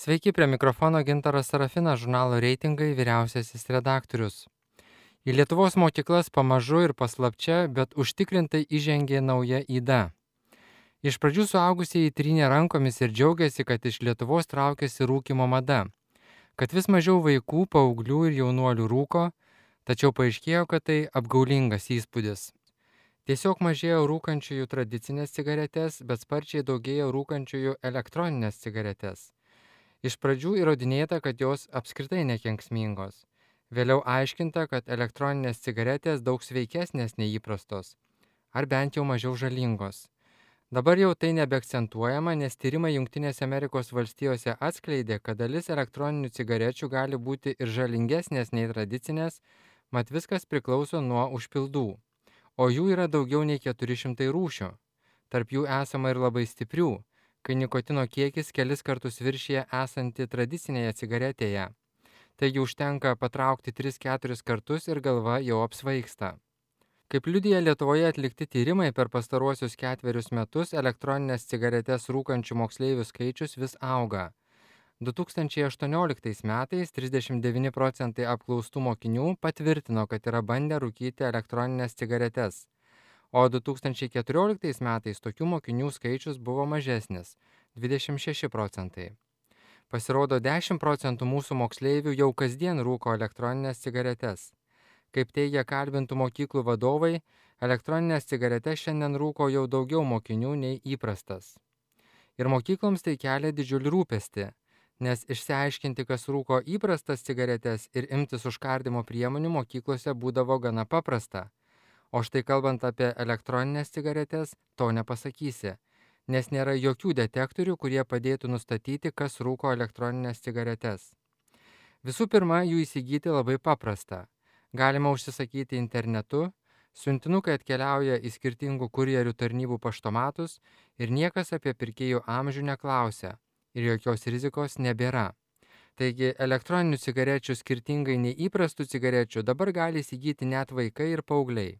Sveiki, prie mikrofono Gintaras Sarafinas, žurnalo Reitingai vyriausiasis redaktorius. Į Lietuvos mokyklas pamažu ir paslapčia, bet užtikrintai įžengė nauja yda. Iš pradžių suaugusieji trynė rankomis ir džiaugiasi, kad iš Lietuvos traukiasi rūkimo mada, kad vis mažiau vaikų, paauglių ir jaunuolių rūko, tačiau paaiškėjo, kad tai apgaulingas įspūdis. Tiesiog mažėjo rūkančiųjų tradicinės cigaretės, bet sparčiai daugėjo rūkančiųjų elektroninės cigaretės. Iš pradžių įrodinėta, kad jos apskritai nekenksmingos. Vėliau aiškinta, kad elektroninės cigaretės daug sveikesnės nei įprastos, ar bent jau mažiau žalingos. Dabar jau tai nebeakcentuojama, nes tyrimai Jungtinėse Amerikos valstijose atskleidė, kad dalis elektroninių cigarečių gali būti ir žalingesnės nei tradicinės, mat viskas priklauso nuo užpildų. O jų yra daugiau nei 400 rūšių. Tarp jų esama ir labai stiprių, kai nikotino kiekis kelis kartus viršyje esantį tradicinėje cigaretėje. Taigi užtenka patraukti 3-4 kartus ir galva jau apsvaigsta. Kaip liudija Lietuvoje atlikti tyrimai, per pastaruosius 4 metus elektroninės cigaretes rūkančių moksleivių skaičius vis auga. 2018 metais 39 procentai apklaustų mokinių patvirtino, kad yra bandę rūkyti elektroninės cigaretes, o 2014 metais tokių mokinių skaičius buvo mažesnis – 26 procentai. Pasirodo, 10 procentų mūsų moksleivių jau kasdien rūko elektroninės cigaretes. Kaip teigia kalbintų mokyklų vadovai, elektroninės cigaretes šiandien rūko jau daugiau mokinių nei įprastas. Ir mokykloms tai kelia didžiulį rūpestį, nes išsiaiškinti, kas rūko įprastas cigaretes ir imtis užkardimo priemonių mokyklose būdavo gana paprasta. O štai kalbant apie elektroninės cigaretes, to nepasakysi, nes nėra jokių detektorių, kurie padėtų nustatyti, kas rūko elektroninės cigaretes. Visų pirma, jų įsigyti labai paprasta. Galima užsisakyti internetu, siuntinukai atkeliauja į skirtingų kurjerių tarnybų paštomatus ir niekas apie pirkėjų amžių neklausia ir jokios rizikos nebėra. Taigi elektroninių cigarečių skirtingai nei įprastų cigarečių dabar gali įsigyti net vaikai ir paaugliai.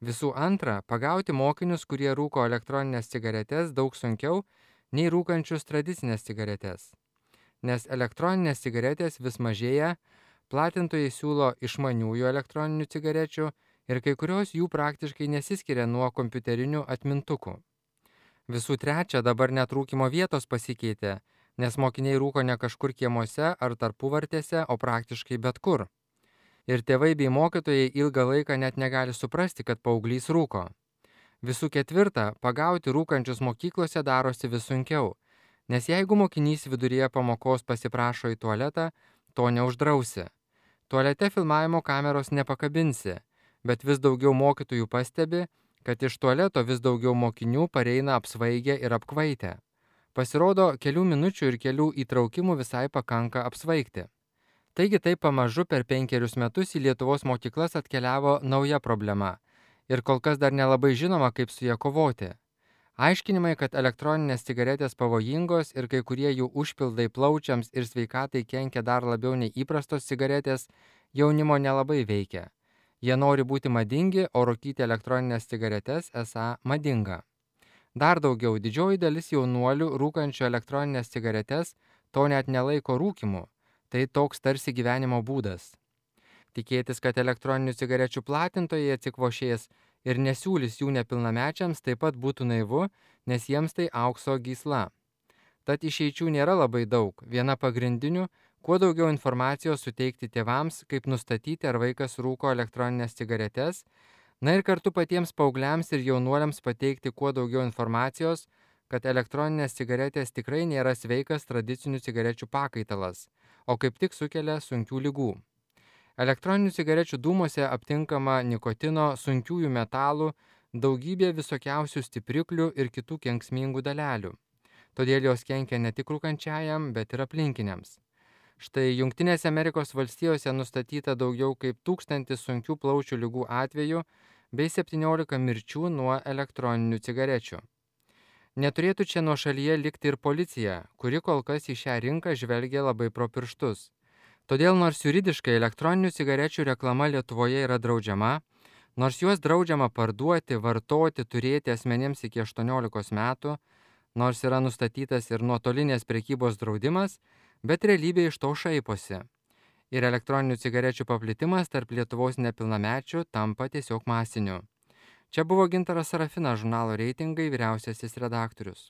Visų antra, pagauti mokinius, kurie rūko elektroninės cigaretes, daug sunkiau nei rūkančius tradicinės cigaretes. Nes elektroninės cigaretės vis mažėja, platintojai siūlo išmaniųjų elektroninių cigarečių ir kai kurios jų praktiškai nesiskiria nuo kompiuterinių atmintukų. Visų trečia, dabar net rūkimo vietos pasikeitė, nes mokiniai rūko ne kažkur kiemuose ar tarpuvartėse, o praktiškai bet kur. Ir tėvai bei mokytojai ilgą laiką net negali suprasti, kad paauglys rūko. Visų ketvirta, pagauti rūkančius mokyklose darosi vis sunkiau, nes jeigu mokinys viduryje pamokos pasiprašo į tualetą, to neuždrausi. Tualete filmavimo kameros nepakabinsi, bet vis daugiau mokytojų pastebi, kad iš tualeto vis daugiau mokinių pareina apsvaigę ir apkvaitę. Pasirodo, kelių minučių ir kelių įtraukimų visai pakanka apsvaigti. Taigi taip pamažu per 5 metus į Lietuvos mokyklas atkeliavo nauja problema ir kol kas dar nelabai žinoma, kaip su ja kovoti. Aiškinimai, kad elektroninės cigaretės pavojingos ir kai kurie jų užpildai plaučiams ir sveikatai kenkia dar labiau nei įprastos cigaretės, jaunimo nelabai veikia. Jie nori būti madingi, o rūkyti elektroninės cigaretes esą madinga. Dar daugiau, didžioji dalis jaunuolių rūkančių elektroninės cigaretes to net nelaiko rūkimu. Tai toks tarsi gyvenimo būdas. Tikėtis, kad elektroninių cigarečių platintojai atsikvošės ir nesiūlys jų nepilnamečiams taip pat būtų naivu, nes jiems tai aukso gysla. Tad išeičių nėra labai daug. Viena pagrindinių – kuo daugiau informacijos suteikti tėvams, kaip nustatyti, ar vaikas rūko elektroninės cigaretes, na ir kartu patiems paaugliams ir jaunuoliams pateikti kuo daugiau informacijos, kad elektroninės cigaretės tikrai nėra sveikas tradicinių cigarečių pakaitalas, o kaip tik sukelia sunkių ligų. Elektroninių cigarečių dūmuose aptinkama nikotino, sunkiųjų metalų, daugybė visokiausių stipriklių ir kitų kenksmingų dalelių. Todėl jos kenkia ne tik rūkančiajam, bet ir aplinkiniams. Štai Jungtinėse Amerikos valstijose nustatyta daugiau kaip 1000 sunkių plaučių ligų atvejų bei 17 mirčių nuo elektroninių cigarečių. Neturėtų čia nuošalyje likti ir policija, kuri kol kas į šią rinką žvelgia labai pro pirštus. Todėl nors juridiškai elektroninių cigarečių reklama Lietuvoje yra draudžiama, nors juos draudžiama parduoti, vartoti, turėti asmenims iki 18 metų, Nors yra nustatytas ir nuotolinės prekybos draudimas, bet realybė iš to šaiposi. Ir elektroninių cigarečių paplitimas tarp Lietuvos nepilnamečių tampa tiesiog masiniu. Čia buvo Gintaras Sarafinas, žurnalo Reitingai vyriausiasis redaktorius.